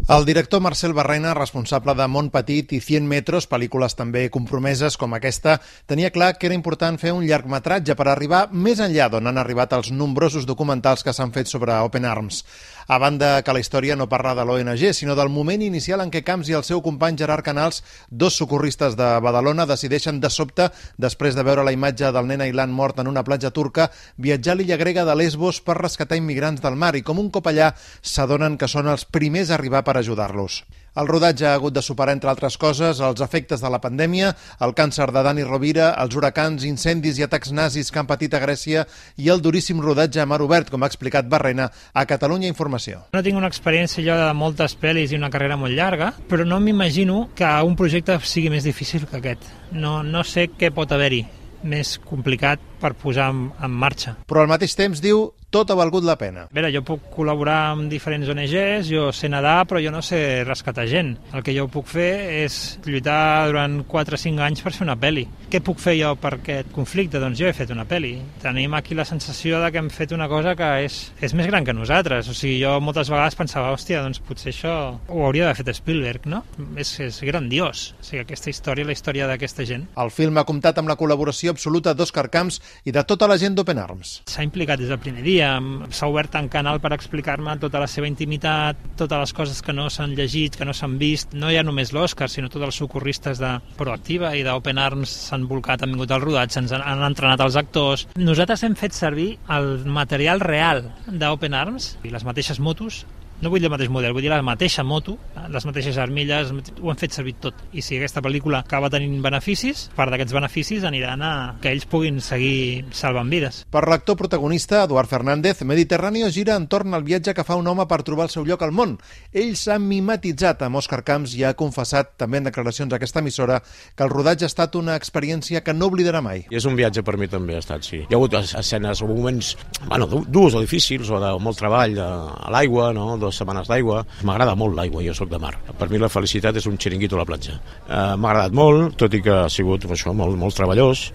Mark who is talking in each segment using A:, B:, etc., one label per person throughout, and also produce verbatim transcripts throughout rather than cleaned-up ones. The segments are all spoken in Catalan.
A: El director Marcel Barrena, responsable de Mont Petit i cent metros, pel·lícules també compromeses com aquesta, tenia clar que era important fer un llargmetratge per arribar més enllà d'on han arribat els nombrosos documentals que s'han fet sobre Open Arms. A banda que la història no parla de l'O N G, sinó del moment inicial en què Camps i el seu company Gerard Canals, dos socorristes de Badalona, decideixen de sobte, després de veure la imatge del nen Aylan mort en una platja turca, viatjar a l'illa grega de Lesbos per rescatar immigrants del mar i com un cop allà s'adonen que són els primers a arribar per ajudar-los. El rodatge ha hagut de superar, entre altres coses, els efectes de la pandèmia, el càncer de Dani Rovira, els huracans, incendis i atacs nazis que han patit a Grècia i el duríssim rodatge a mar obert, com ha explicat Barrena a Catalunya Informació.
B: No tinc una experiència jo de moltes pel·lis i una carrera molt llarga, però no m'imagino que un projecte sigui més difícil que aquest. No, no sé què pot haver-hi més complicat per posar en, en marxa.
A: Però al mateix temps diu tot ha valgut la pena.
B: A veure, jo puc col·laborar amb diferents O N Ges, jo sé nedar, però jo no sé rescatar gent. El que jo puc fer és lluitar durant quatre o cinc anys per fer una pel·li. Què puc fer jo per aquest conflicte? Doncs jo he fet una pel·li. Tenim aquí la sensació de que hem fet una cosa que és, és més gran que nosaltres. O sigui, jo moltes vegades pensava, hòstia, doncs potser això ho hauria d'haver fet Spielberg, no? És, és grandiós. O sigui, aquesta història, la història d'aquesta gent.
A: El film ha comptat amb la col·laboració absoluta d'Òscar Camps i de tota la gent d'Open Arms.
B: S'ha implicat des del primer dia. S'ha obert un canal per explicar-me tota la seva intimitat, totes les coses que no s'han llegit, que no s'han vist. No hi ha només l'Òscar, sinó tots els socorristes de Proactiva i d'Open Arms s'han volcat, han vingut al rodatge, ens han, han entrenat els actors. Nosaltres hem fet servir el material real d'Open Arms i les mateixes motos. No vull dir el mateix model, vull dir la mateixa moto, les mateixes armilles, ho hem fet servir tot. I si aquesta pel·lícula acaba tenint beneficis, part d'aquests beneficis aniran a que ells puguin seguir salvant vides.
A: Per l'actor protagonista, Eduard Fernández, Mediterráneo gira entorn al viatge que fa un home per trobar el seu lloc al món. Ell s'ha mimetitzat amb Òscar Camps i ha confessat, també en declaracions a aquesta emissora, que el rodatge ha estat una experiència que no oblidarà mai.
C: I és un viatge per mi també, ha estat, sí. Hi ha hagut escenes o moments, bueno, durs o difícils, o de molt treball a l'aigua, no?, dues setmanes d'aigua. M'agrada molt l'aigua, jo sóc de mar. Per mi la felicitat és un xiringuito a la platja. Uh, M'ha agradat molt, tot i que ha sigut això, molt, molt treballós,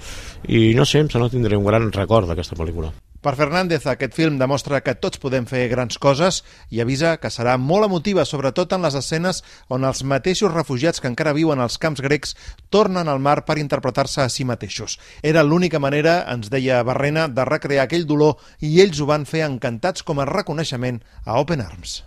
C: i no sé, em sembla que tindré un gran record d'aquesta pel·lícula.
A: Per Fernández, aquest film demostra que tots podem fer grans coses i avisa que serà molt emotiva, sobretot en les escenes on els mateixos refugiats que encara viuen als camps grecs tornen al mar per interpretar-se a si mateixos. Era l'única manera, ens deia Barrena, de recrear aquell dolor i ells ho van fer encantats com a reconeixement a Open Arms.